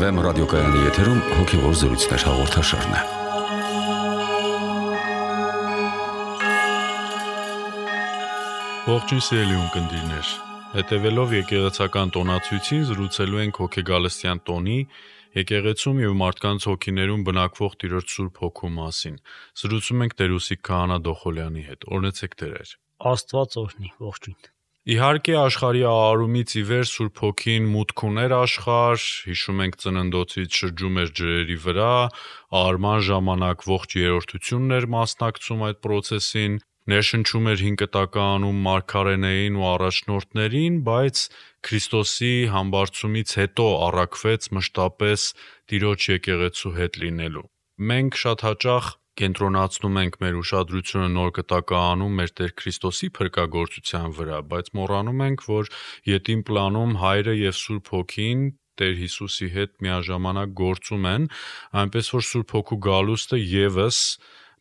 FM ռադիոկայանի եթերում հոգևոր զրույցներ հաղորդաշարն է։ Ողջույն սիրելի ունկնդիրներ, հետևելով եկեղեցական տոնացույցին զրուցելու ենք հոգեգալստյան տոնի, եկեղեցում և մարդկանց հոգիներում բնակվող Տիրոջ Սուրբ Հոգու մասին։ Զրուցում ենք Տեր-Ուսիկ Քահանա Դոխոլյանի հետ։ Օրհնեցեք Տերեր։ Աստված օրհնի, ողջույն։ Իհարկե աշխարհի արարումից ի վեր Սուրբ Հոգին մուտք ուներ աշխարհ, հիշում ենք ծննդոցից շրջում էր ջրերի վրա, արման ժամանակ ողջ երրորդությունն էր մասնակցում այդ process-ին, ներշնչում էր 5 կտականում մարգարեներին ու առաջնորդներին, բայց Քրիստոսի համբարձումից հետո առաքվեց մշտապես Տիրոջ եկեղեցու հետ լինելու։ Մենք շատ հաճախ կենտրոնացնում ենք մեր ուշադրությունը նոր կտականում մեր Տեր Քրիստոսի փրկagorցության վրա, բայց մոռանում ենք, որ յետին պլանում Հայրը և Սուրբ Հոգին Տեր Հիսուսի հետ միաժամանակ գործում են, այնպես որ Սուրբ Հոգու գալուստը ևս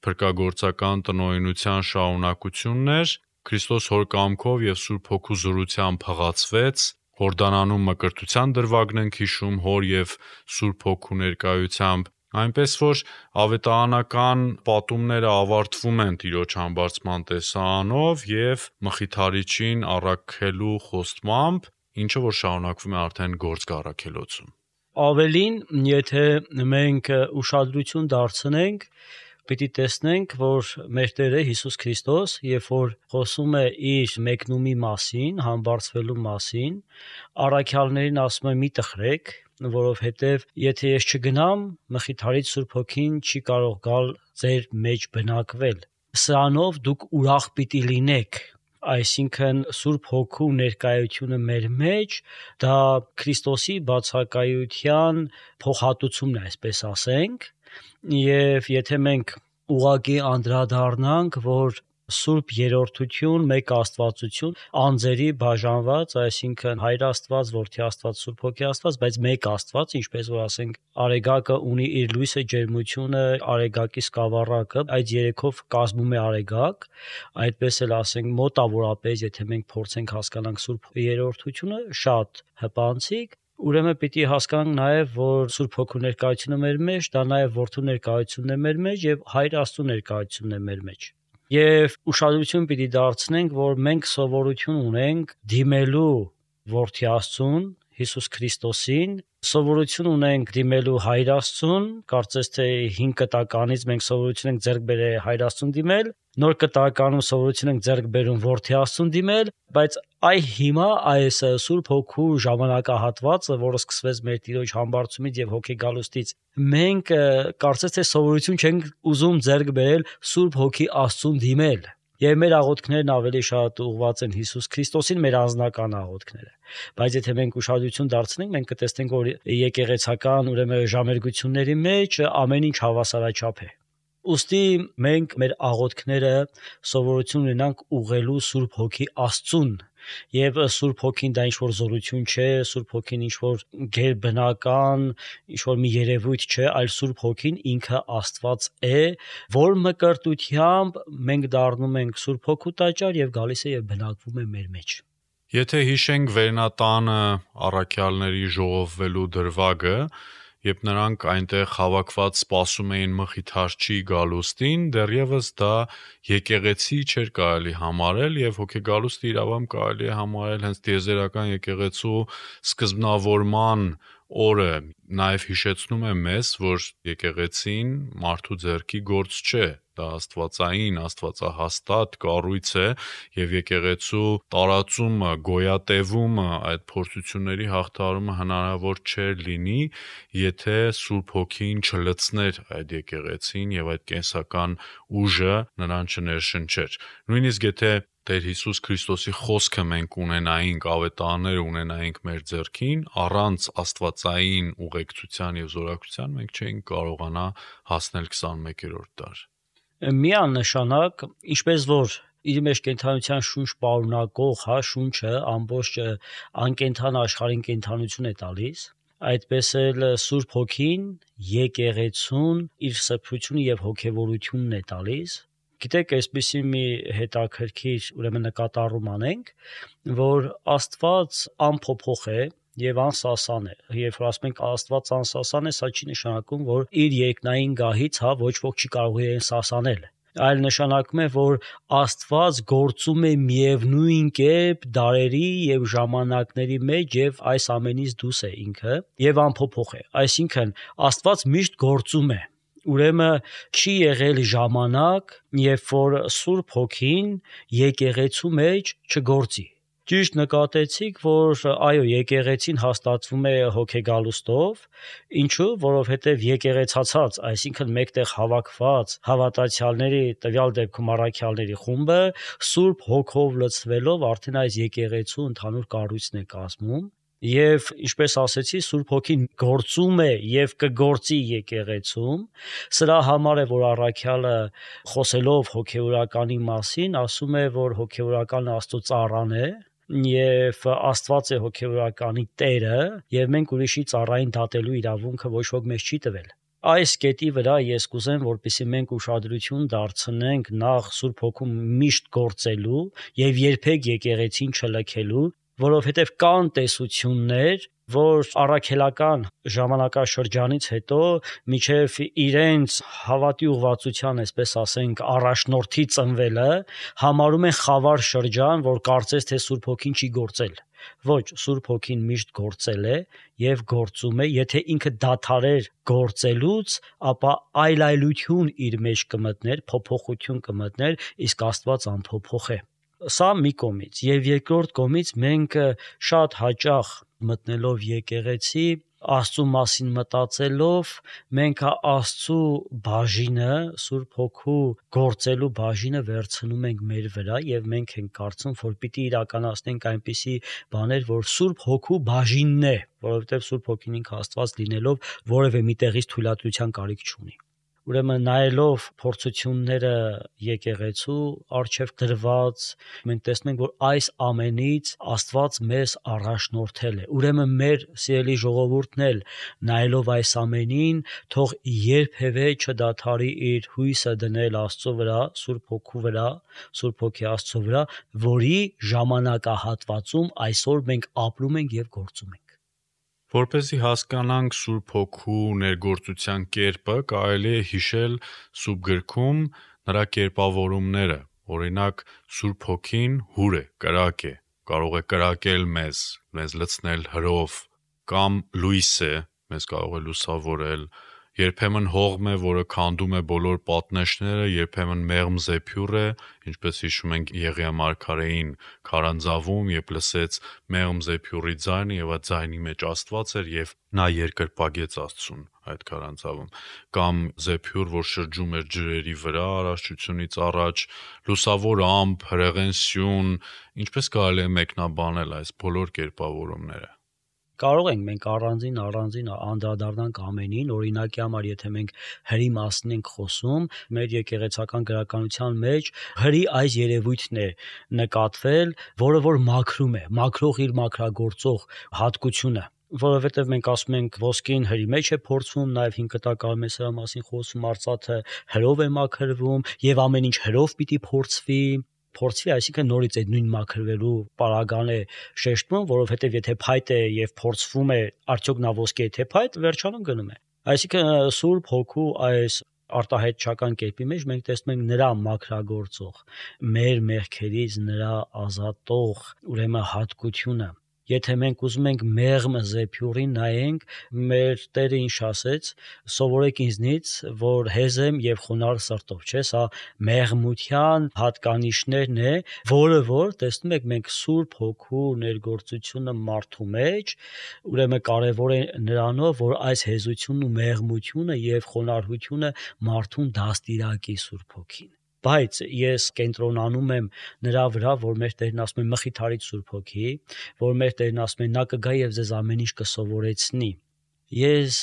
փրկagorցական տնօրինության շարունակությունն էր, Քրիստոս Հոր կամքով և Սուրբ Հոգու զորությամբ հղացվեց, Հորդանանում մկրտության դրվագն ենք հիշում Հոր և Սուրբ Հոգու ներկայությամբ, այնպես որ ավետարանական պատումները ավարտվում են Տիրոջ համբարձման տեսարանով և Մխիթարիչին առաքելու խոստմամբ, ինչը որ շարունակվում է արդեն գործք առաքելոցում։ Ավելին, եթե մենք ուշադրություն դարձնենք, պիտի տեսնենք, որ մեր Տերը Հիսուս Քրիստոս, երբ որ խոսում է իր մեկնումի մասին, համբարձվելու մասին, առաքյալներին ասում է՝ մի տխրեք, որովհետև եթե ես չգնամ, Մխիթարիչ Սուրբ Հոգին չի կարող գալ ձեր մեջ բնակվել։ Սրանով դուք ուրախ պիտի լինեք։ Այսինքն Սուրբ Հոգու ներկայությունը մեր մեջ դա Քրիստոսի բացակայության փոխհատուցումն է, այսպես ասենք, եւ եթե մենք ուղղակի անդրադառնանք, որ Սուրբ երրորդություն, մեկ Աստվածություն, անձերի բաժանված, այսինքն Հայր Աստված, Որդի Աստված, Սուրբ Հոգի Աստված, բայց մեկ Աստված, ինչպես որ ասենք, Արեգակը ունի իր լույսը, ջերմությունը, Արեգակի սկավառակը, այդ երեքով կազմում է Արեգակ, այդպես էլ ասենք մոտավորապես, եթե մենք փորձենք հասկանանք Սուրբ երրորդությունը, շատ հպանցիկ, ուրեմն պիտի հասկանանք նաև, որ Սուրբ Հոգու ներկայությունը մեր մեջ, դա նաև Որդու ներկայությունն է մեր մեջ եւ Հայր Աստծո ներկայությունն է մեր մեջ։ Եվ ուշադրություն պիտի դարձնենք, որ մենք սովորություն ունենք դիմելու Որդի Աստծուն, Հիսուս Քրիստոսին, սովորություն ունենք դիմելու Հայր Աստծուն, կարծես թե 5 կտականից մենք սովորություն ենք ձեռք բերել Հայր Աստծուն դիմել, նոր կտականում սովորություն ենք ձեռք բերում Որդի Աստծուն դիմել, բայց հիմա այս Սուրբ Հոգու ժամանակահատվածը, որը սկսվեց մեր Տիրոջ համբարձումից եւ հոգեգալուստից, մենք կարծես թե սովորություն չենք ուզում ձեռք բերել Սուրբ Հոգի Աստծուն դիմել։ Եվ մեր աղոթքներն ավելի շատ ուղղված են Հիսուս Քրիստոսին, մեր անձնական աղոթքները։ Բայց եթե մենք ուշադրություն դարձնենք, մենք կտեսնենք, որ եկեղեցական ուրեմն ժամերգությունների մեջ ամեն ինչ հավասարաչափ է։ Ուստի մենք մեր աղոթքները սովորություն ունենանք ուղղելու Սուրբ Հոգի Աստծուն, եւ Սուրբ Հոգին դա ինչ-որ զորություն չէ, Սուրբ Հոգին ինչ-որ գերբնական, ինչ-որ մի երևույթ չէ, այլ Սուրբ Հոգին ինքը Աստված է, որ մկրտությամբ մենք դառնում ենք Սուրբ Հոգու տաճար եւ գալիս է եւ բնակվում է մեր մեջ։ Եթե հիշենք Վերնատանը առաքյալների ժողովվելու դրվագը, երբ նրանք այնտեղ հավաքված սպասում էին Մխիթարչի գալուստին, դեռևս դա եկեղեցի չէր կարելի համարել եւ հոգեգալուստը իրավամբ կարելի է համարել հենց տիեզերական եկեղեցու սկզբնավորման օրը, նաև հիշեցնում է մեզ, որ եկեղեցին մարդու ձեռքի գործ չէ, դա աստվածային, աստվածահաստատ կառույց է եւ եկեղեցու տարածումը, գոյատևումը, այդ փորձությունների հաղթահարումը հնարավոր չէր լինի, եթե Սուրբ Հոգին չլցներ այդ եկեղեցին եւ այդ կենսական ուժը նրան չներշնչեր։ Նույնիսկ եթե Տեր Հիսուս Քրիստոսի խոսքը մենք ունենայինք, ավետարանները ունենայինք մեր ձեռքին, առանց աստվածային ուղեկցության եւ զորակցության մենք չէինք կարողանա հասնել 21-րդ դար։ Միանշանակ, ինչպես որ իր մեջ կենդանության շունչ պարունակող, շունչը ամբողջ անկենդան աշխարհին կենդանություն է տալիս, այդպես էլ Սուրբ Հոգին եկեղեցուն իր սրբությունը եւ հոգեվորությունն է տալիս։ Գիտեք, այսպեսի մի հետաքրքիր ուրեմն նկատառում անենք, որ Աստված անփոփոխ է եւ անսասան է։ Երբ որ ասում ենք Աստված անսասան է, սա չի նշանակում, որ իր երկնային գահից ոչ ոք չի կարող իրեն սասանել։ Այլ նշանակում է, որ Աստված գործում է միևնույն կերպ դարերի եւ ժամանակների մեջ եւ այս ամենից դուրս է ինքը եւ անփոփոխ է։ Այսինքն Աստված միշտ գործում է։ Ուրեմն չի եղել ժամանակ, երբ որ Սուրբ Հոգին եկեղեցու մեջ չգործի։ Ճիշտ նկատեցիք, որ այո, եկեղեցին հաստատվում է հոգեգալուստով, ինչու, որովհետև եկեղեցացած, այսինքն մեկտեղ հավաքված հավատացյալների, տվյալ դեպքում առաքյալների խումբը Սուրբ Հոգով լցվելով արդեն այս եկեղեցու ընդհանուր կառույցն է կազմում։ Եվ ինչպես ասեցի, Սուրբ Հոգին գործում է եւ կգործի եկեղեցում, սրա համար է, որ առաքյալը խոսելով հոգեորականի մասին, ասում է, որ հոգեորականը Աստծո ծառան է եւ Աստված է հոգեորականի Տերը եւ մենք ուրիշի ծառային դատելու իրավունքը ոչ ոք մեզ չի տվել։ Այս կետի վրա ես կուզեմ, որպեսզի մենք ուշադրություն դարձնենք նախ Սուրբ Հոգու միշտ գործելու եւ երբեք եկեղեցին չլքելու, որովհետև կան տեսություններ, որ առաքելական ժամանակաշրջանից հետո միջև իրենց հավատի ուղղվածության, այսպես ասենք, առաջնորդի ծնվելը համարում են խավար շրջան, որ կարծես թե Սուրբ Հոգին չի գործել։ Ոչ, Սուրբ Հոգին միշտ գործել է եւ գործում է, եթե ինքը դադարեր գործելուց, ապա այլայլություն իր մեջ կմտներ, փոփոխություն կմտներ, իսկ Աստված անփոփոխ է։ Սա մի կողմից, եւ երկրորդ կողմից մենք շատ հաճախ մտնելով եկեղեցի, Աստծո մասին մտածելով, մենք Աստծո բաժինը, Սուրբ Հոգու գործելու բաժինը վերցնում ենք մեր վրա եւ մենք ենք կարծում, որ պիտի իրականացնենք այնպիսի բաներ, որ Սուրբ Հոգու բաժինն է, որովհետեւ Սուրբ Հոգին ինքը Աստված լինելով որևէ մի տեղից թույլատվության կարիք չունի։ Ուրեմն նայելով փորձությունները եկեղեցու արչև դրված, մենք տեսնում ենք, որ այս ամենից Աստված մեզ առաջնորդել է։ Ուրեմն մեր սիրելի ժողովուրդն էլ նայելով այս ամենին, թող երբևէ չդադարի իր հույսը դնել Աստծո վրա, Սուրբ Հոգու վրա, Սուրբ Հոգի Աստծո վրա, որի ժամանակահատվածում այսօր մենք ապրում ենք եւ գործում ենք։ Որպեսզի հասկանանք Սուրբ Հոգու ներգործության կերպը, կարելի է հիշել Սուրբ Գրքում նրա կերպավորումները։ Օրինակ, Սուրբ Հոգին հուր է, կրակ է, կարող է կրակել մեզ լցնել հրով, կամ լույս է, մեզ կարող է լուսավորել, երբեմն հողմ է, որը քանդում է բոլոր պատնեշները, երբեմն մեղմ զեփյուռ է, ինչպես հիշում ենք Եղիա մարգարեին քարանձավում, երբ լսեց մեղմ զեփյուռի ձայնը եւ այդ ձայնի մեջ Աստված էր եւ նա երկրպագեց Աստծուն այդ քարանձավում, կամ զեփյուռ, որ շրջում էր ջրերի վրա առողջությունից առաջ, լուսավոր ամպ, հրեղեն սյուն, ինչպես կարելի է մեկնաբանել այս բոլոր կերպավորումները։ Կարող ենք մենք առանձին անդրադառնանք ամենին, օրինակի համար, եթե մենք հրի մասին ենք խոսում, մեր եկեղեցական գրականության մեջ հրի այս երևույթն է նկատվել, որը որ մաքրում է, մաքրող իր մաքրագործող հատկությունը, որովհետև մենք ասում ենք ոսկին հրի մեջ է փորձվում, նաև 5 կտակարում է սրա մասին խոսում, արծաթը հրով է մաքրվում եւ ամեն ինչ հրով պիտի փորձվի, այսինքն նորից այդ նույն մաքրվելու պարագան է շեշտվում, որովհետև եթե փայտ է եւ փորձվում է, արդյոք նա ոսկի է թե փայտ, վերջանում գնում է։ Այսինքն Սուրբ Հոգու այս արտահայտչական կերպի մեջ մենք տեսնում ենք նրա մաքրագործող, մեր մեղքերից նրա ազատող, ուրեմն հատկությունը։ Եթե մենք ուզում ենք մեղմ զեփյուռին նայենք, մեր Տերը ինչ ասեց, սովորեք ինձնից, որ հեզ եմ եւ խոնարհ սրտով, չէ՞, սա մեղմության հատկանիշներն է, որը որ տեսնում եք մենք Սուրբ Հոգու ներգործությունը մարդու մեջ, ուրեմն կարևոր է նրանով, որ այս հեզությունն ու մեղմությունը եւ խոնարհությունը մարդուն դաստիարակի Սուրբ Հոգին։ Բայց ես կենտրոնանում եմ նրա վրա, որ մեր Տերն ասում է մխիթարիչ Սուրբ Հոգի, որ մեր Տերն ասում է նա կգա եւ ձեզ ամեն ինչ կսովորեցնի։ Ես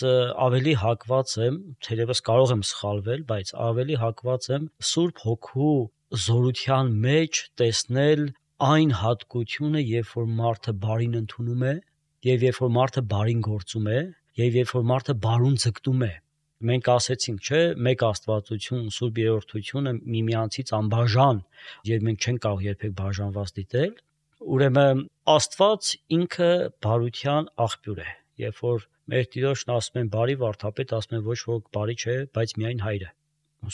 ավելի հակված եմ, թերևս կարող եմ սխալվել, բայց ավելի հակված եմ Սուրբ Հոգու զորության մեջ տեսնել այն հատկությունը, երբ որ մարդը բարին ընդունում է, եւ երբ որ մարդը բարին գործում է, եւ երբ որ մարդը բարուն ձգտում է։ Մենք ասեցինք, չէ, մեկ Աստվածություն, Սուրբ Երրորդությունը միմյանցից անբաժան, եւ մենք չենք կարող երբեք բաժանված դիտել, Ուրեմն Աստված ինքը բարության աղբյուր է։ Երբ որ մեր Տիրոջն ասում են բարի վարդապետ, ասում են ոչ ոք բարի չէ, բայց միայն Հայրը։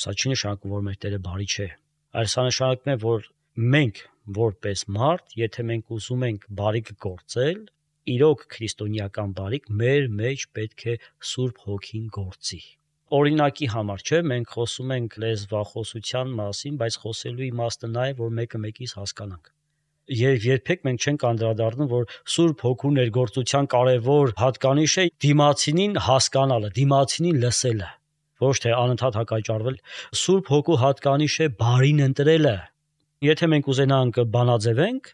Սա չի նշանակում, որ մեր Տերը բարի չէ, այլ սա նշանակում է, որ մենք որպես մարդ, եթե մենք ուզում ենք բարիք գործել, իրոք քրիստոնեական բարիք, մեր մեջ պետք է Սուրբ Հոգին գործի։ Օրինակի համար չէ, մենք խոսում ենք լեզվախոսության մասին, բայց խոսելու իմաստը նա է, որ մեկը մեկից հասկանանք։ Եվ երբեք մենք չենք անդրադառնում, որ Սուրբ Հոգու ներգործության կարևոր հատկանիշ է դիմացինին հասկանալը, դիմացինին լսելը, ոչ թե անընդհատ հակաճառվել։ Սուրբ Հոգու հատկանիշ է բարին ընտրելը։ Եթե մենք ուզենանք բանաձևենք,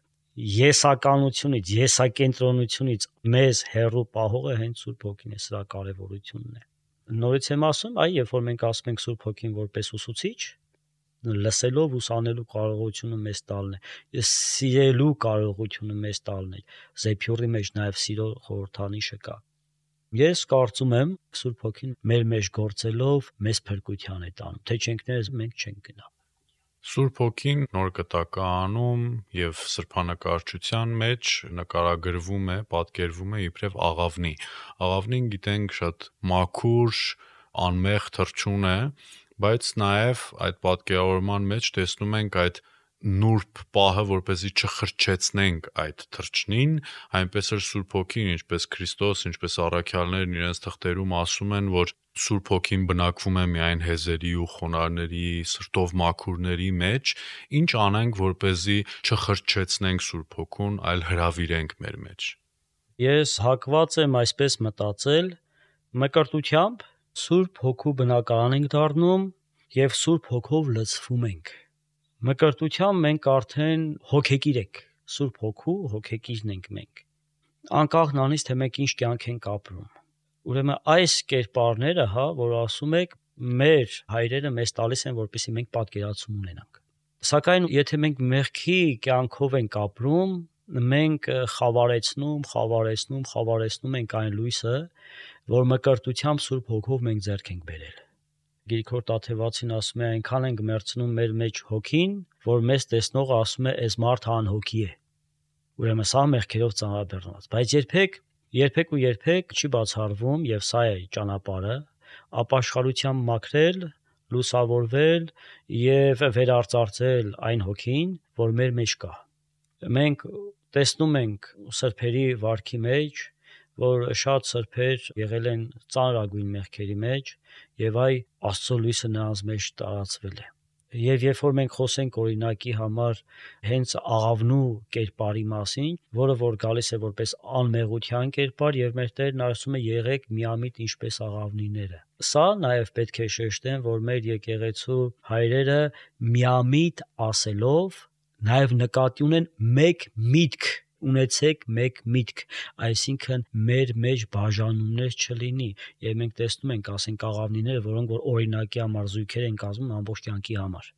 եսականությունից, եսակենտրոնությունից մեզ հեռու պահողը հենց Սուրբ Հոգին է, սրա կարևորությունն է։ Նորից եմ ասում, երբ որ մենք ասում ենք Սուրբ Հոգին որպես ուսուցիչ, լսելով ուսանելու կարողությունը մեզ տալն է, սիրելու կարողությունը մեզ տալն է։ Զեփյուրի մեջ նաև սիրո խորհրդանիշը կա։ Ես կարծում եմ, Սուրբ Հոգին մեր մեջ գործելով մեզ փրկության է տանում, թե չենք ներս մենք չենք գնա։ Սուրբ Հոգին Նոր Կտակարանում եւ սրբանկարչության մեջ նկարագրվում է, պատկերվում է իբրև աղավնի։ Աղավնին գիտենք շատ մաքուր, անմեղ թռչուն է, բայց նաև այդ պատկերավորման մեջ տեսնում ենք այդ նուրբ պահը, որպեսզի չխրճեցնենք այդ թռչնին, այնպես էլ Սուրբ Հոգին, ինչպես Քրիստոս, ինչպես առաքյալներն իրենց թղթերում ասում են, որ Սուրբ Հոգին բնակվում է միայն հեզերի ու խոնարհների, սրտով մաքուրների մեջ, ինչ անենք, որպեսզի չխրճեցնենք Սուրբ Հոգուն, այլ հրավիրենք մեր մեջ։ Ես հակված եմ այսպես մտածել, մկրտությամբ Սուրբ Հոգու բնակարան ենք դառնում եւ Սուրբ Հոգով լցվում ենք։ Մկրտությամբ մենք արդեն հոգեկիր ենք, Սուրբ Հոգու հոգեկիրն ենք մենք։ Անկախ նրանից, թե մենք ինչ կյանք ենք ապրում։ Ուրեմն այս կերպարները, որ ասում եք, մեր հայրերը մեզ տալիս են, որպեսզի մենք պատկերացում ունենանք։ Սակայն եթե մենք մեղքի կյանքով ենք ապրում, մենք խավարեցնում ենք այն լույսը, որ մկրտությամբ Սուրբ Հոգով մենք ձեռք ենք բերել։ Գիրքորդ Աթևացին ասում է, այնքան ենք մերցնում մեր մեջ հոգին, որ մեզ տեսնողը ասում է, այս մարդը անհոգի է։ Ուրեմն սա մեղքերով ծանրաբեռնված, բայց երբեք չի բացառվում, եւ սա է ճանապարհը, ապաշխարությամբ մաքրել, լուսավորվել եւ վերարծարծել այն հոգին, որ մեր մեջ կա։ Մենք տեսնում ենք սրբերի վարքի մեջ, որ շատ սրբեր եղել են ծանրագույն մեղքերի մեջ եւ Աստծո լույսը նրանց մեջ տարածվել է։ Եվ երբ որ մենք խոսենք օրինակի համար հենց աղավնու կերպարի մասին, որը որ գալիս է որպես անմեղության կերպար եւ մեր Տերն ասում է եղեք միամիտ ինչպես աղավնիները։ Սա նաեւ պետք է շեշտեն, որ մեր եկեղեցու հայրերը միամիտ ասելով նաեւ նկատի ունեն մեկ միտք, ունեցեք մեկ միտք, այսինքն մեր մեջ բաժանումներ չլինի, եւ մենք տեսնում ենք, ասենք աղավնիները, որոնք որ օրինակի համար զույգեր են կազմում ամբողջ կյանքի համար։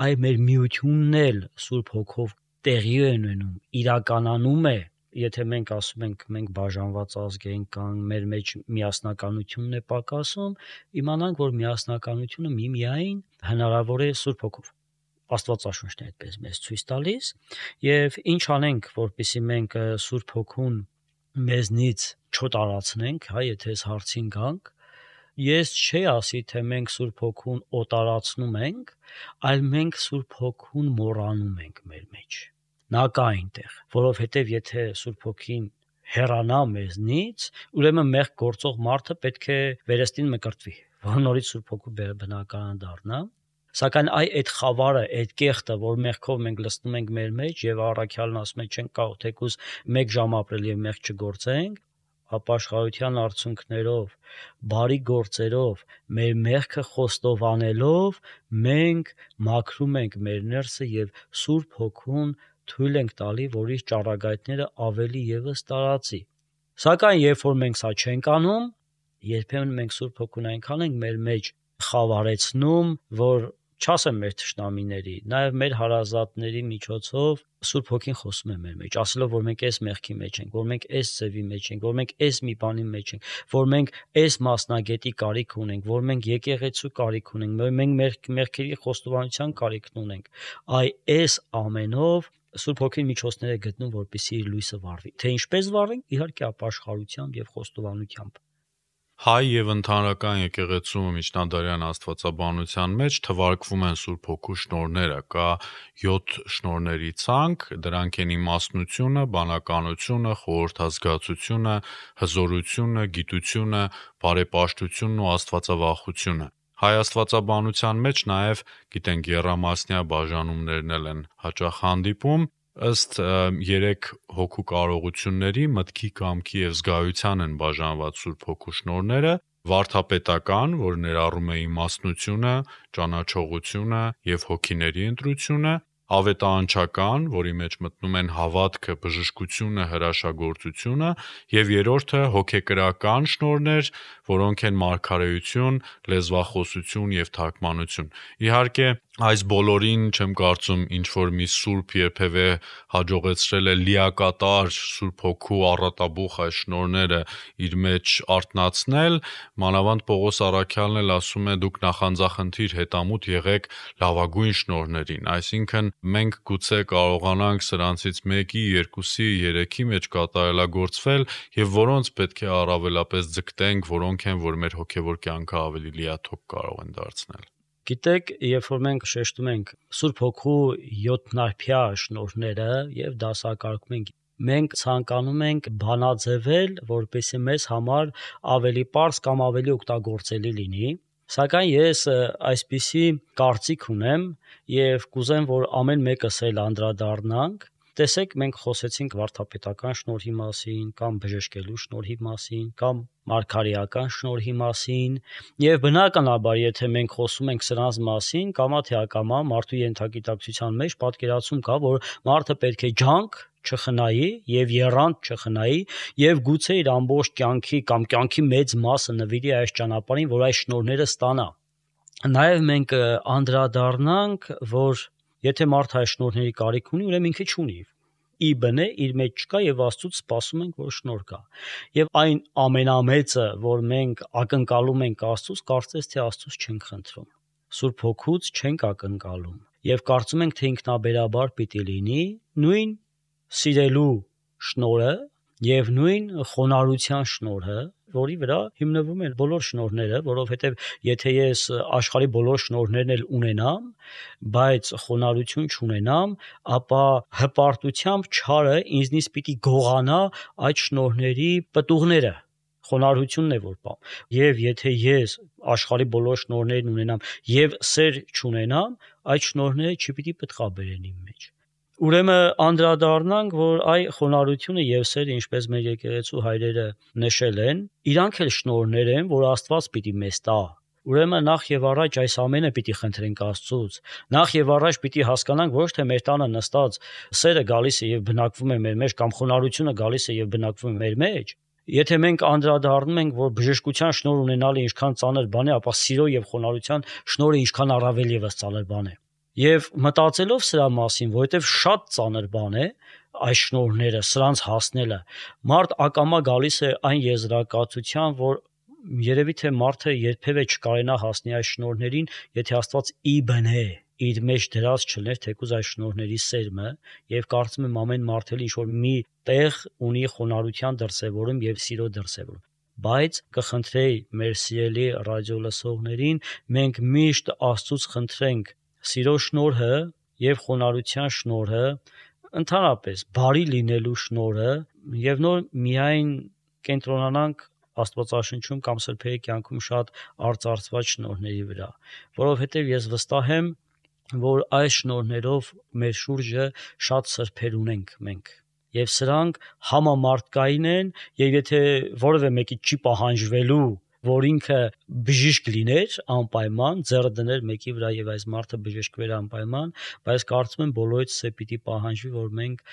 Այ մեր միությունն էլ Սուրբ Հոգով տեղի է ունենում, իրականանում է, եթե մենք ասում ենք մենք բաժանված ազգ ենք կամ մեր մեջ միասնականությունն է պակասում, իմանանք, որ միասնականությունը միայն հնարավոր է Սուրբ Հոգով։ Աստվածաշունչն է այդպես մեզ ցույց տալիս, եւ ինչ անենք, որպեսզի մենք Սուրբ Հոգուն մեզնից չոտարացնենք, եթե այս հարցին գանք, ես չի ասի, թե մենք Սուրբ Հոգուն օտարացնում ենք, այլ մենք Սուրբ Հոգուն մոռանում ենք մեր մեջ։ Նա կա այնտեղ, որովհետեւ եթե Սուրբ Հոգին հեռանա մեզնից, ուրեմն մեղք գործող մարդը պետք է վերստին մկրտվի, որ նորից Սուրբ Հոգու բնակարան դառնա։ Սակայն այդ խավարը, այդ կեղտը, որ մեղքով մենք լցնում ենք մեր մեջ եւ առաքյալն ասում է չենք կարող թեկուզ 1 ժամ ապրել եւ մեղք չգործենք, ապաշխարության արդյունքներով, բարի գործերով, մեր մեղքը խոստովանելով, մենք մաքրում ենք մեր ներսը եւ Սուրբ Հոգուն թույլ ենք տալի, որ իր ճառագայթները ավելի եւս տարածի։ Սակայն երբ որ մենք սա չենք անում, երբեմն մենք Սուրբ Հոգուն այնքան ենք մեր մեջ խավարեցնում, որ չասեմ մեր թշնամիների, նաև մեր հարազատների միջոցով Սուրբ Հոգին խոսում է մեր մեջ, ասելով, որ մենք այս մեղքի մեջ ենք, որ մենք այս ձևի մեջ ենք, որ մենք այս մի բանի մեջ ենք, որ մենք այս մասնագետի կարիք ունենք, որ մենք եկեղեցու կարիք ունենք, որ մենք մեր մեղքերի խոստովանության կարիք ունենք։ Այս ամենով Սուրբ Հոգին միջոցներ է գտնում, որպեսզի իր լույսը վառվի։ Թե ինչպես վառվենք, իհարկե ապաշխարությամբ եւ խոստովանությամբ։ Հայ եւ ընդհանրական եկեղեցու միջնադարյան աստվածաբանության մեջ թվարկվում են Սուրբ Հոգու շնորհները, կա 7 շնորհների ցանկ, դրանք են իմաստնությունը, բանականությունը, խորհրդազգացությունը, հզորությունը, գիտությունը, բարեպաշտությունն ու աստվածավախությունը։ Հայ աստվածաբանության մեջ նաև գիտենք եռամասնյա բաժանումներն են հաճախ հանդիպում, ըստ 3 հոգու կարողությունների մտքի, կամքի եւ զգայության են բաժանված Սուրբ Հոգու շնորհները. վարդապետական, որը ներառում է իմաստնությունը, ճանաչողությունը եւ հոգիների ընտրությունը, ավետարանչական, որի մեջ մտնում են հավատքը, բժշկությունը, հրաշագործությունը, եւ երրորդը հոգեկրական շնորհներ, որոնք են մարգարեություն, լեզվախոսություն եւ թարգմանություն։ Իհարկե, այս բոլորին չեմ կարծում ինչ որ մի սուրբ երբևէ հաջողեցրել է լիակատար Սուրբ Հոգու առատաբուխ այս շնորհները իր մեջ արտնացնել, մանավանդ Պողոս Առաքյալն էլ ասում է դուք նախանձախնդիր հետամուտ եղեք լավագույն շնորհներին, այսինքն մենք գուցե կարողանանք սրանցից 1-ի, 2-ի, 3-ի մեջ կատարելագործվել եւ որոնց պետք է առավելապես ձգտենք, որոնք են որ մեր հոգեվոր կյանքը ավելի լիաթոք կարող են դարձնել։ Գիտեք, երբ որ մենք շեշտում ենք Սուրբ Հոգու 7 շնորհները եւ դասակարգում ենք, մենք ցանկանում ենք բանաձևել, որպեսզի մեզ համար ավելի པարզ կամ ավելի օգտագործելի լինի, սակայն ես այսպիսի կարծիք ունեմ եւ կուզեմ, որ ամեն մեկս էլ անդրադառնանք։ Տեսեք, մենք խոսեցինք վարդապետական շնորհի մասին, կամ բժշկելու շնորհի մասին, կամ մարգարեական շնորհի մասին, եւ բնականաբար, եթե մենք խոսում ենք սրանց մասին, կամա թե ակամա մարդու ենթագիտակցության մեջ պատկերացում կա, որ մարդը պետք է ջանք չխնայի եւ եռանդ չխնայի եւ գուցե իր ամբողջ կյանքի կամ կյանքի մեծ մասը նվիրի այս ճանապարհին, որ այս շնորհները ստանա։ Նաեւ մենք անդրադառնանք, որ եթե մարդը այս շնորհների կարիք ունի, ուրեմն ինքը չունի։ Ի բնե իր մեջ չկա եւ Աստծուց սպասում ենք, որ շնորհ կա։ Եվ այն ամենամեծը, որ մենք ակնկալում ենք Աստծուց, կարծես թե Աստծուց չենք խնդրում։ Սուրբ Հոգուց չենք ակնկալում եւ կարծում ենք, թե ինքնաբերաբար պիտի լինի նույն սիրելու շնորհը եւ նույն խոնարհության շնորհը, որի վրա հիմնվում են բոլոր շնորհները, որովհետեւ եթե ես աշխարհի բոլոր շնորհներն էլ ունենամ, բայց խոնարհություն չունենամ, ապա հպարտությամբ չարը ինձնից պիտի գողանա այդ շնորհների պտուղները։ Խոնարհությունն է որ բան։ Եվ եթե ես աշխարհի բոլոր շնորհներն ունենամ եւ սեր չունենամ, այդ շնորհները չպիտի պտղաբերեն իմ մեջ։ Ուրեմն անդրադառնանք, որ այ խոնարհությունը եւ սերը, ինչպես մեր եկեղեցու հայրերը նշել են, իրանք էլ շնորհներ են, որ Աստված պիտի մեզ տա։ Ուրեմն նախ եւ առաջ այս ամենը պիտի խնդրենք Աստծուց։ Նախ եւ առաջ պիտի հասկանանք ոչ թե մեր տանը նստած սերը գալիս է եւ բնակվում է մեր մեջ կամ խոնարհությունը գալիս է եւ բնակվում է մեր մեջ։ Եթե մենք անդրադառնում ենք, որ բժշկության շնորհ ունենալը ինչքան ծանր բան է, ապա սիրո եւ խոնարհության շնորհը ինչքան առավել եւս ծանր բան է։ Եվ մտածելով սրա մասին, որովհետև շատ ծանր բան է այս շնորհները, սրանց հասնելը, մարդ ակամա գալիս է այն եզրակացության, որ երևի թե մարդը երբևէ չկարենա հասնի այս շնորհներին, եթե Աստված ի բնե իր մեջ դրած չլներ թեկուզ այս շնորհների սերմը, եւ կարծում եմ ամեն մարդ էլ ինչ որ մի տեղ ունի խոնարհության դրսևորում եւ սիրո դրսևորում։ Բայց կխնդրեի մեր սիրելի ռադիոլսողներին, մենք միշտ Աստծուց խնդրենք սիրո շնորհը եւ խոնարհության շնորհը, ընդհանրապես բարի լինելու շնորհը եւ նոր միայն կենտրոնանանք Աստվածաշնչում կամ սրբերի կյանքում շատ արծարծված շնորհների վրա, որովհետեւ ես վստահ եմ, որ այս շնորհներով մեր շուրջը շատ սրբեր ունենք մենք եւ սրանք համամարտկային են եւ եթե որևէ մեկի չի պահանջվելու որ ինքը բժիշկ լիներ անպայման, ձեռը դներ մեկի վրա եւ այս մարդը բժշկվեր անպայման, բայց կարծում եմ բոլորից է պիտի պահանջվի, որ մենք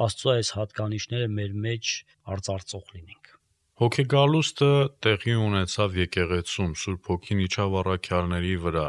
Աստծո այս հատկանիշները մեր մեջ արծարծող լինենք։ Հոգեգալուստը տեղի ունեցավ եկեղեցում, Սուրբ Հոգին իջավ առաքյալների վրա,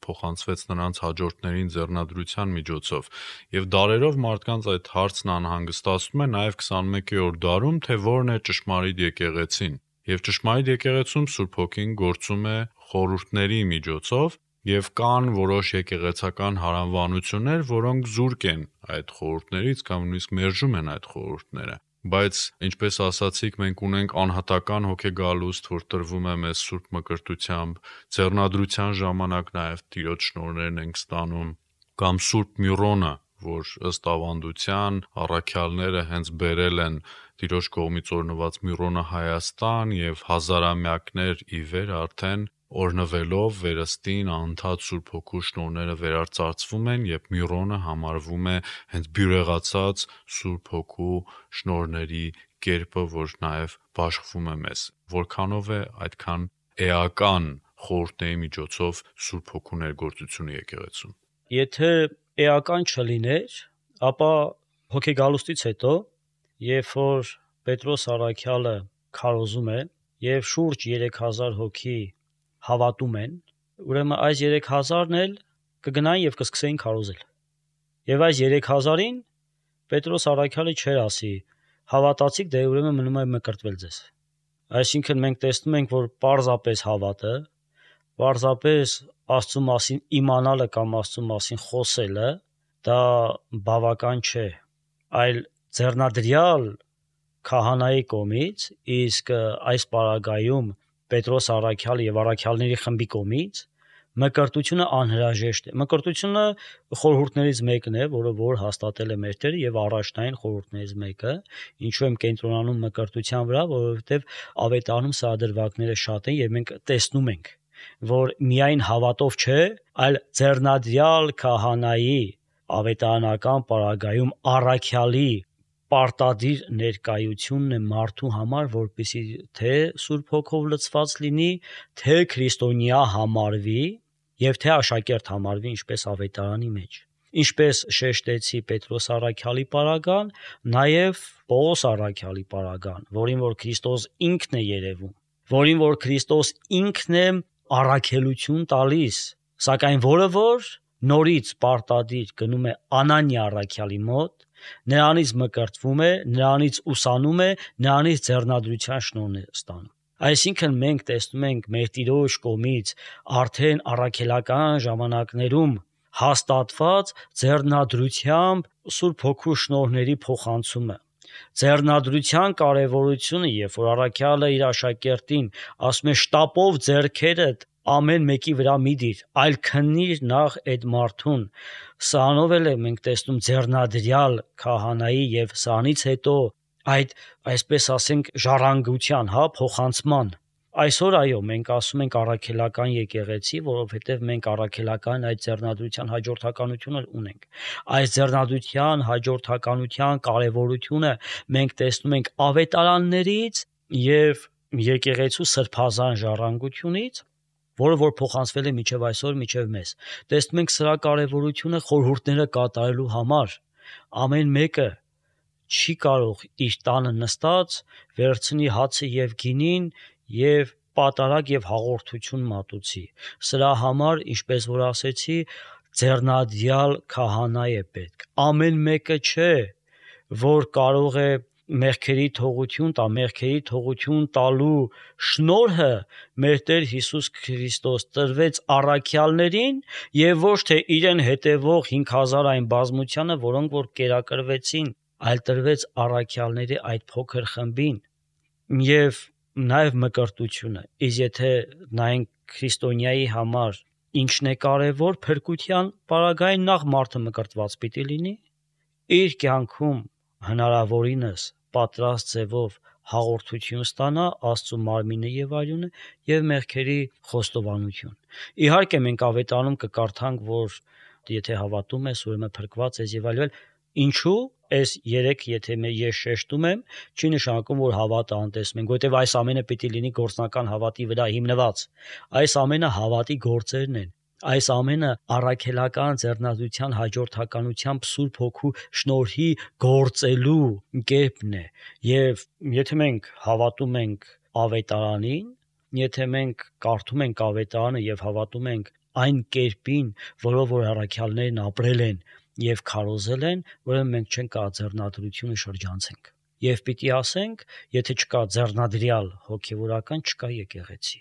փոխանցվեց նրանց հաջորդներին ձեռնադրության միջոցով, եւ դարերով մարդկանց այդ հարցն անհանգստացնում է նաեւ 21-րդ դարում, թե որն է ճշմարիտ եկեղեցին։ Եվ ճշմարիտ եկեղեցում Սուրբ Հոգին գործում է խորհուրդների միջոցով, Եվ կան որոշ եկեղեցական հարանվանություններ, որոնք զուրկ են այդ խորհուրդներից կամ նույնիսկ մերժում են այդ խորհուրդները։ Բայց ինչպես ասացիք, մենք ունենք անհատական հոգեգալուստ, որ տրվում է մեզ Սուրբ Մկրտությամբ, ձեռնադրության ժամանակ նաև Տիրոջ շնորհներն ենք ստանում, կամ Սուրբ Միրոնը, որ ըստ ավանդության առաքյալները հենց բերել են Տիրոջ կողմից օրհնված Միրոնը Հայաստան եւ հազարամյակներ ի վեր արդեն օրնվելով վերստին անընդհատ Սուրբ Հոգու շնորհները վերարծարծվում են, եւ Միրոնը համարվում է հենց բյուրեղացած Սուրբ Հոգու շնորհների կերպը, որ նաև բաշխվում է մեզ։ Որքանով է այդքան էական խորհուրդների միջոցով Սուրբ Հոգու ներգործությունը եկեղեցում։ Եթե էական չլիներ, ապա հոգեգալուստից հետո, երբ որ Պետրոս առաքյալը քարոզում է եւ շուրջ 3000 հոգի հավատում են, ուրեմն այս 3000-ն էլ կգնային եւ կսկսեին քարոզել։ Եվ այս 3000-ին Պետրոս առաքյալը չէր ասի. հավատացիք, դե ուրեմն մնում է մկրտվել ձեզ։ Այսինքն մենք տեսնում ենք, որ պարզապես հավատը, պարզապես Աստծո մասին իմանալը կամ Աստծո մասին խոսելը դա բավական չէ, այլ ձեռնադրյալ քահանայի կողմից, իսկ այս պարագայում Պետրոս առաքյալը եւ առաքյալների խմբի կողմից մկրտությունը անհրաժեշտ է։ Մկրտությունը խորհուրդներից մեկն է, որը որ հաստատել է մեր Տերը եւ առաջնային խորհուրդներից մեկը, ինչու եմ կենտրոնանում մկրտության վրա, որովհետեւ ավետարանում սահադրվակները շատ են եւ մենք տեսնում ենք, որ միայն հավատով չէ, այլ ձեռնադրյալ քահանայի ավետարանական պարագայում առաքյալի պարտադիր ներկայությունն է մարդու համար, որպեսզի թե Սուրբ Հոգով լցված լինի, թե քրիստոնյա համարվի եւ թե աշակերտ համարվի, ինչպես ավետարանի մեջ։ Ինչպես շեշտեցի Պետրոս առաքյալի պարագան, նաեւ Պողոս առաքյալի պարագան, որին որ Քրիստոս ինքն է երևում, որին որ Քրիստոս ինքն է առաքելություն տալիս, սակայն որը որ նորից պարտադիր գնում է Անանիա առաքյալի մոտ, նրանից մկրտվում է, նրանից ուսանում է, նրանից ձեռնադրության շնորհն է ստանում։ Այսինքն մենք տեսնում ենք մեր Տիրոջ կողմից արդեն առաքելական ժամանակներում հաստատված ձեռնադրությամբ Սուրբ Հոգու շնորհների փոխանցումը։ Ձեռնադրության կարևորությունը, երբ որ առաքյալը իր աշակերտին ասում է շտապով ձեռքերդ ամեն մեկի վրա մի դիր, այլ քննիր նախ այդ մարդուն, սրանով էլ մենք տեսնում ձեռնադրյալ քահանայի եւ սրանից հետո այդ, այսպես ասենք, ժառանգության, փոխանցման։ Այսօր այո, մենք ասում ենք առաքելական եկեղեցի, որովհետև մենք առաքելական այդ ձեռնադրության հաջորդականությունը ունենք։ Այս ձեռնադրության հաջորդականության կարևորությունը մենք տեսնում ենք ավետարաններից եւ եկեղեցու սրբազան ժառանգությունից, որը որ փոխանցվել է մինչև այսօր, մինչև մեզ։ Տեսնում ենք սրա կարևորությունը խորհուրդները կատարելու համար։ Ամեն մեկը չի կարող իր տանը նստած վերցնի հացը եւ գինին եւ պատարակ եւ հաղորդություն մատուցի։ Սրա համար, ինչպես որ ասեցի, ձեռնադրյալ քահանա է պետք։ Ամեն մեկը չէ, որ կարող է մեղքերի թողություն տա, մեղքերի թողություն տալու շնորհը մեր Տեր Հիսուս Քրիստոս տրվեց առաքյալներին եւ ոչ թե իրեն հետևող 5000 այն բազմությանը, որոնք որ կերակրվեցին, այլ տրվեց առաքյալների այդ փոքր խմբին եւ նաեւ մկրտությունը։ Իսկ եթե նայենք քրիստոնյայի համար ինչն է կարևոր փրկության պարագային, նախ մարդը մկրտված պիտի լինի, իր կյանքում հնարավորինս պատրաստ ձևով հաղորդություն ստանա Աստծո մարմինը եւ արյունը եւ մեղքերի խոստովանություն։ Իհարկե մենք ավետարանում կկարդանք, որ եթե հավատում ես, ուրեմն փրկված ես եւ այլն, ինչու այս 3 եթե ես շեշտում եմ, չի նշանակում, որ հավատը անտեսում ենք, որովհետեւ այս ամենը պիտի լինի գործնական հավատի վրա հիմնված։ Այս ամենը հավատի գործերն են։ Այս ամենը առաքելական ձեռնադրության հաջորդականությամբ Սուրբ Հոգու շնորհի գործելու կերպն է։ Եվ եթե մենք հավատում ենք ավետարանին, եթե մենք կարդում ենք ավետարանը եւ հավատում ենք այն կերպին, որով որ առաքյալներն ապրել են եւ քարոզել են, ուրեմն մենք չենք կարող ձեռնադրությունը շրջանցենք։ Եվ պիտի ասենք, եթե չկա ձեռնադրյալ հոգեվորական, չկա եկեղեցի։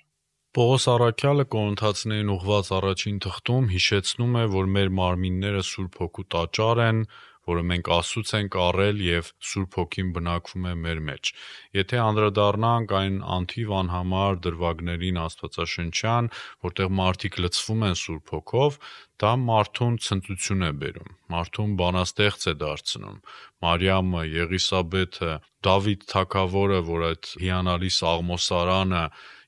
Պողոս առաքյալը Կորինթացիներին ուղված առաջին թղթում հիշեցնում է, որ մեր մարմինները Սուրբ Հոգու տաճար են, որը մենք Աստծուց ենք առել եւ Սուրբ Հոգին բնակվում է մեր մեջ։ Եթե անդրադառնանք այն անթիվ անհամար դրվագներին Աստվածաշնչյան, որտեղ մարդիկ լցվում են Սուրբ Հոգով, դա մարդուն ցնծություն է բերում, մարդուն բանաստեղծ է դարձնում։ Մարիամը, Եղիսաբեթը, Դավիթ թագավորը, որ այդ հիանալի սաղմոսարանը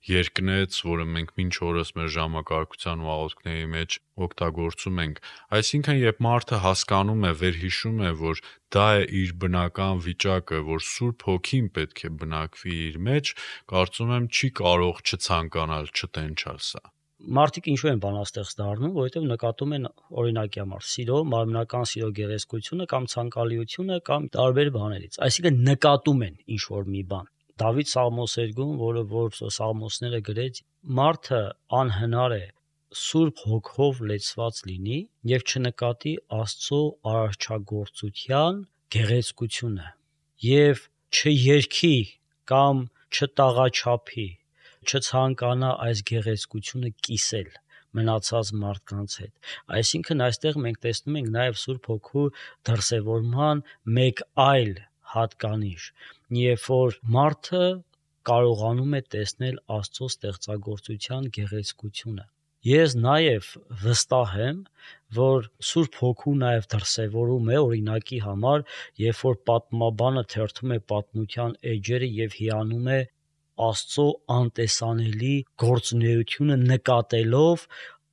երկնեց, որը մենք մինչ օրս մեր ժամակարգության ու աղոթքների մեջ օգտագործում ենք։ Այսինքն, երբ մարդը հասկանում է, վերհիշում է, որ դա է իր բնական վիճակը, որ Սուրբ Հոգին պետք է բնակվի իր մեջ, կարծում եմ չի կարող չցանկանալ, չտենչալ սա։ Մարդիկ ինչու են բանաստեղծ դառնում, որովհետև նկատում են օրինակի համար սիրո, մարմնական սիրո գեղեցկությունը կամ ցանկալիությունը կամ տարբեր բաներից։ Այսինքն նկատում են ինչ որ մի բան։ Դավիթ Սաղմոսերգում, որ Սաղմոսները գրեց, մարդը անհնար է Սուրբ Հոգով լեցված լինի եւ չնկատի Աստծո արարչագործության գեղեցկությունը եւ չերքի կամ չտաղաչափի, չցանկանա այս գեղեցկությունը կիսել մնացած մարդկանց հետ։ Այսինքն այստեղ մենք տեսնում ենք նաեւ Սուրբ Հոգու դրսևորման մեկ այլ հատկանիշ, երբ որ մարդը կարողանում է տեսնել Աստծո ստեղծագործության գեղեցկությունը։ Ես նաև վստահ եմ, որ Սուրբ Հոգու նաև դրսևորում է օրինակի համար, երբ որ պատմաբանը թերթում է պատմության էջերը եւ հիանում է Աստծո անտեսանելի գործունեությունը նկատելով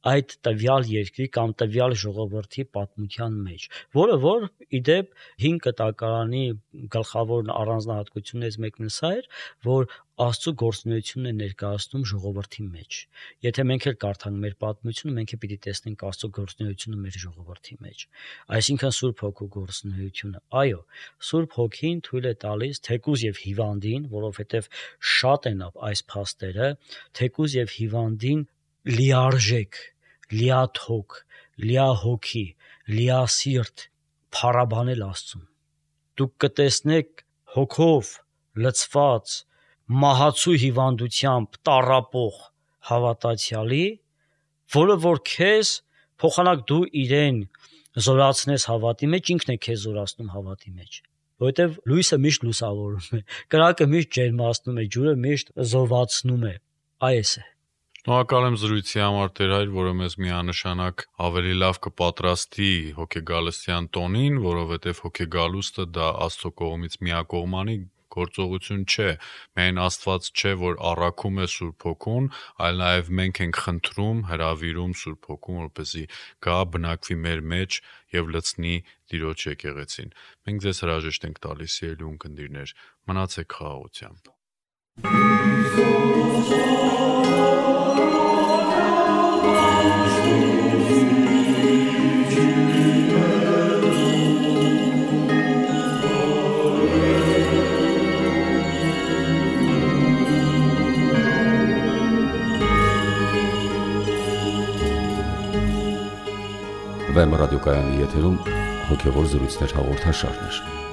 այդ տվյալ երկրի կամ տվյալ ժողովրդի պատմության մեջ, որ իդեպ 5 կտակարանի գլխավոր առանձնահատկություններից մեկն սա էր, որ Աստծո գործունեությունն է ներկայացնում ժողովրդի մեջ։ Եթե մենք էլ կարդանք մեր պատմությունը, մենք էլ պիտի տեսնենք Աստծո գործունեությունը մեր ժողովրդի մեջ։ Այսինքն Սուրբ Հոգու գործունեությունը։ Այո, Սուրբ Հոգին թույլ է տալիս թեկուզ եւ հիվանդին, որովհետեւ շատ են այս փաստերը, թեկուզ եւ հիվանդին լիարժեք, լիաթոք, լիահոգի, լիասիրտ փառաբանել Աստծուն։ Դուք կտեսնեք հոգով լցված մահացու հիվանդությամբ տառապող հավատացյալի, որը որ քեզ փոխանակ դու իրեն զորացնես հավատի մեջ, ինքն է քեզ զորացնում հավատի մեջ, որովհետև լույսը միշտ լուսավորում է, կրակը միշտ ջերմացնում է, ջուրը միշտ զովացնում է։ Այս է։ Շնորհակալ եմ զրույցի համար Տեր Հայր, որը մեզ միանշանակ ավելի լավ կպատրաստի հոգեգալստյան տոնին, որովհետև հոգեգալուստը դա Աստծո կողմից միակողմանի գործողություն չէ, միայն Աստված չէ, որ առաքում է Սուրբ Հոգուն, այլ նաև մենք ենք խնդրում, հրավիրում Սուրբ Հոգուն, որպեսզի գա բնակվի մեր մեջ եւ լցնի Տիրոջ եկեղեցին։ Մենք ձեզ հրաժեշտ ենք տալիս, սիրելի ունկնդիրներ, մնացեք խաղաղությամբ։ Վեմ ռադիոկայանի եթերում հոգևոր զրույցներ հաղորդաշարներ։